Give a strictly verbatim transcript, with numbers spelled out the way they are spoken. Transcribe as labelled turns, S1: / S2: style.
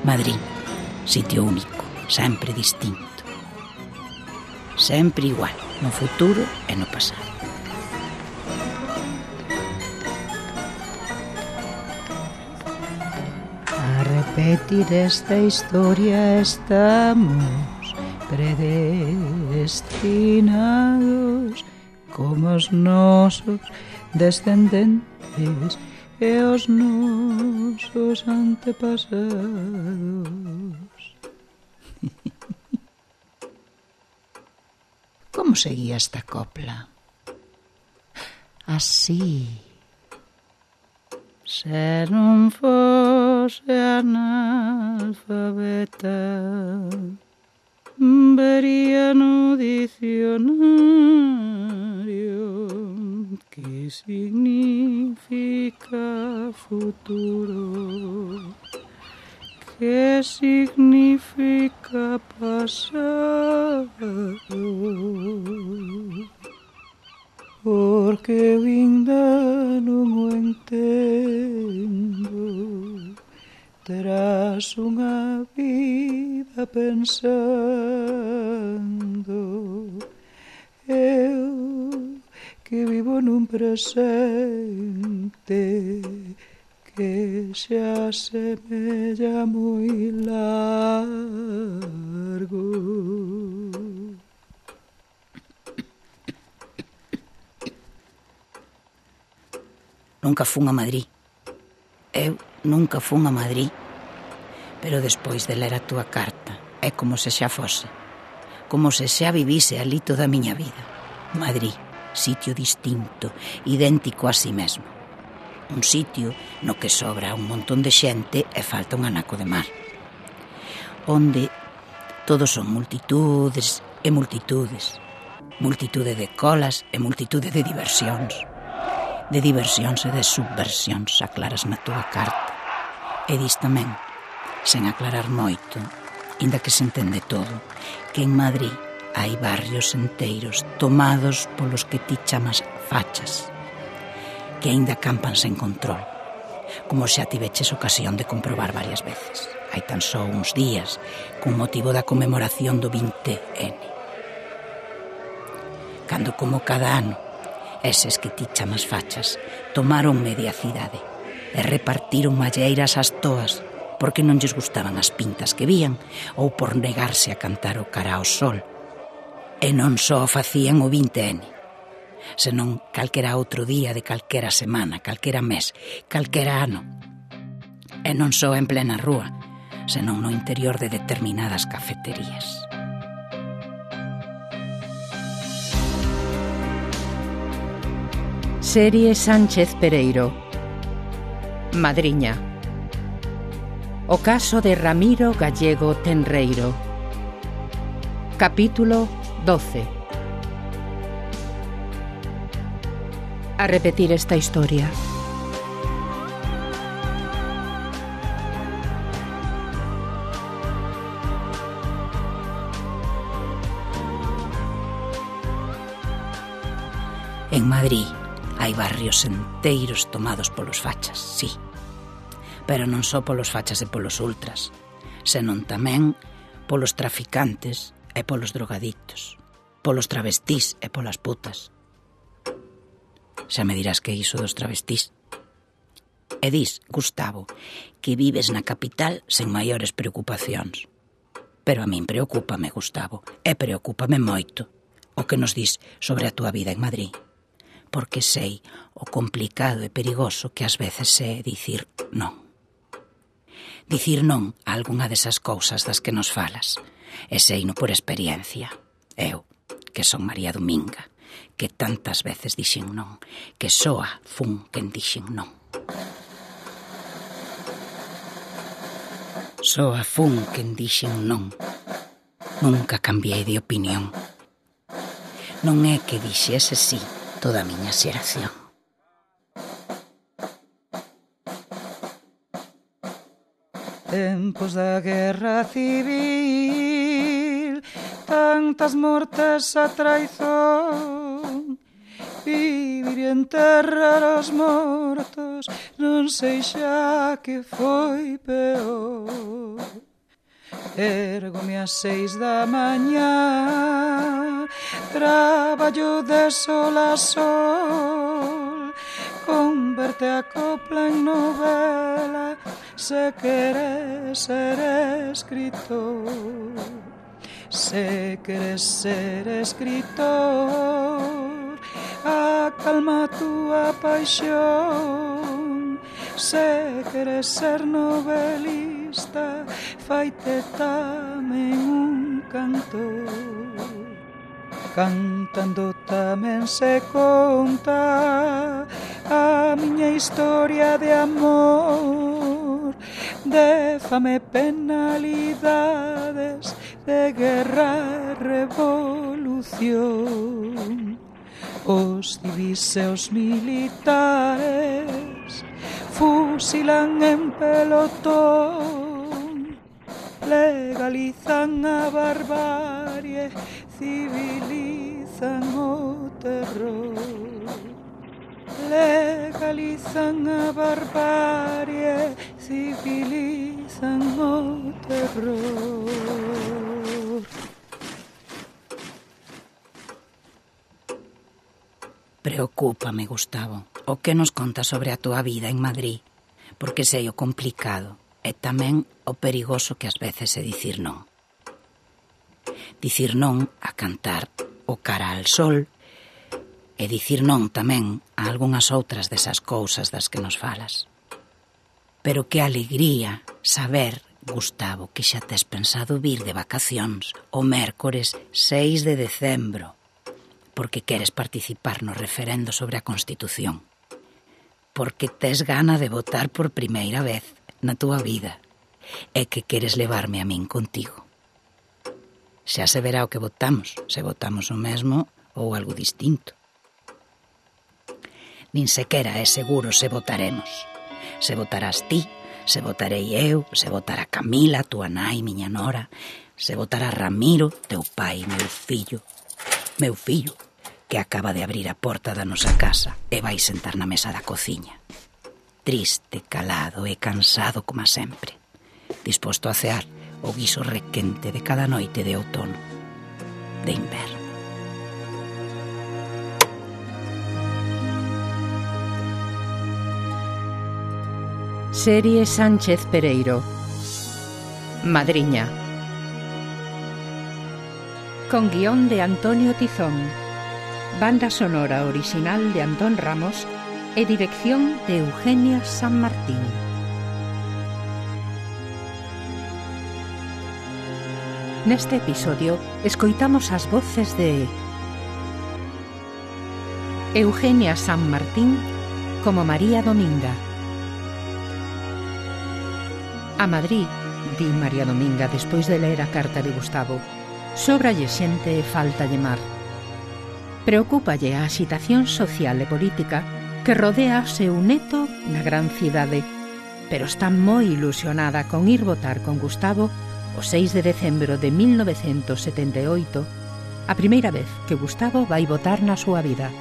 S1: Madrid, sitio único, sempre distinto. Sempre igual, no futuro e no pasado.
S2: A repetir esta historia estamos predestinados, como os nosos descendentes e os nosos antepasados. Como seguía esta copla? Así. Se non fose analfabeta, vería no dicionario que significa futuro, que significa pasado, porque eu ainda non o entendo. Terás unha vida pensando, eu que vivo nun presente que xa semella moi largo.
S1: Nunca fun a Madrid. Eu nunca fun a Madrid. Pero despois de ler a túa carta, é como se xa fose. Como se xa vivise ali toda a miña vida. Madrid, sitio distinto, idéntico a si mesmo. Un sitio no que sobra un montón de xente e falta un anaco de mar. Onde todos son multitudes e multitudes. Multitude de colas e multitude de diversións. De diversións e de subversións, aclaras na túa carta. E dis tamén, sen aclarar moito, inda que se entende todo, que en Madrid hai barrios enteiros tomados polos que ti chamas fachas, que aínda campan sen control, como xa tiveches ocasión de comprobar varias veces. Hai tan só uns días, con motivo da conmemoración do vinte ene. Cando, como cada ano, eses que ti chamas fachas tomaron media cidade e repartiron malleiras ás toas porque non lles gustaban as pintas que vían ou por negarse a cantar o cara ao sol. E non só facían o vinte ene, senón calquera outro día de calquera semana, calquera mes, calquera ano. E non só en plena rúa, senón no interior de determinadas cafeterías.
S3: Serie Sánchez Pereiro. Madriña. O caso de Ramiro Gallego Tenreiro. Capítulo doce. A repetir esta historia.
S1: En Madrid hai barrios enteiros tomados polos fachas, sí. Pero non só polos fachas e polos ultras, senón tamén polos traficantes e polos drogaditos, polos travestís e polas putas. Xa me dirás que é iso dos travestís. E dis, Gustavo, que vives na capital sen maiores preocupacións. Pero a min preocúpame, Gustavo, e preocúpame moito o que nos dis sobre a túa vida en Madrid. Porque sei o complicado e perigoso que ás veces é dicir non. Dicir non a algunha desas cousas das que nos falas. E seino por experiencia. Eu, que son María Dominga, que tantas veces dixen non, que soa fun quen dixen non. Soa fun quen dixen non. Nunca cambiei de opinión. Non é que dixese sí toda a miña xeración.
S2: Tempos da guerra civil, tantas mortes a traizón, vivir e enterrar os mortos, non sei xa que foi peor. Ergome ás seis da mañá, traballo de sol a sol, converte a copla en novela, se queres ser escritor. Se queres ser escritor, acalma a túa paixón. Se queres ser novelista, faite tamén un cantor. Cantando tamén se conta a miña historia de amor, de fame, penalidades, de guerra, revolución. Os civis e os militares fusilan en pelotón, legalizan a barbarie, civilizan o terror. Legalizan a barbarie, civilizan o terror.
S1: Preocúpame, Gustavo, o que nos contas sobre a túa vida en Madrid, porque sei o complicado e tamén o perigoso que ás veces é dicir non. Dicir non a cantar o Cara al Sol e dicir non tamén a algunhas outras desas cousas das que nos falas. Pero que alegría saber, Gustavo, que xa tes pensado vir de vacacións o mércores seis de decembro, porque queres participar no referendo sobre a Constitución, porque tes gana de votar por primeira vez na túa vida e que queres levarme a min contigo. Xa se verá o que votamos, se votamos o mesmo ou algo distinto. Nin sequera é seguro se votaremos. Se votarás ti, se votarei eu, se votará Camila, túa nai, miña nora, se votará Ramiro, teu pai, meu fillo, meu fillo, que acaba de abrir a porta da nosa casa e vai sentar na mesa da cociña. Triste, calado e cansado como sempre, disposto a cear o guiso requente de cada noite de outono, de inverno.
S3: Serie Sánchez Pereiro. Madriña. Con guión de Antonio Tizón. Banda sonora original de Antón Ramos e dirección de Eugenia San Martín. Neste episodio escoitamos as voces de Eugenia San Martín como María Dominga. A Madrid, di María Dominga despois de ler a carta de Gustavo, sóbralle xente e faltalle mar. Preocúpalle a axitación social e política que rodea o seu neto na gran cidade, pero está moi ilusionada con ir votar con Gustavo o seis de decembro de mil novecentos setenta e oito, a primeira vez que Gustavo vai votar na súa vida.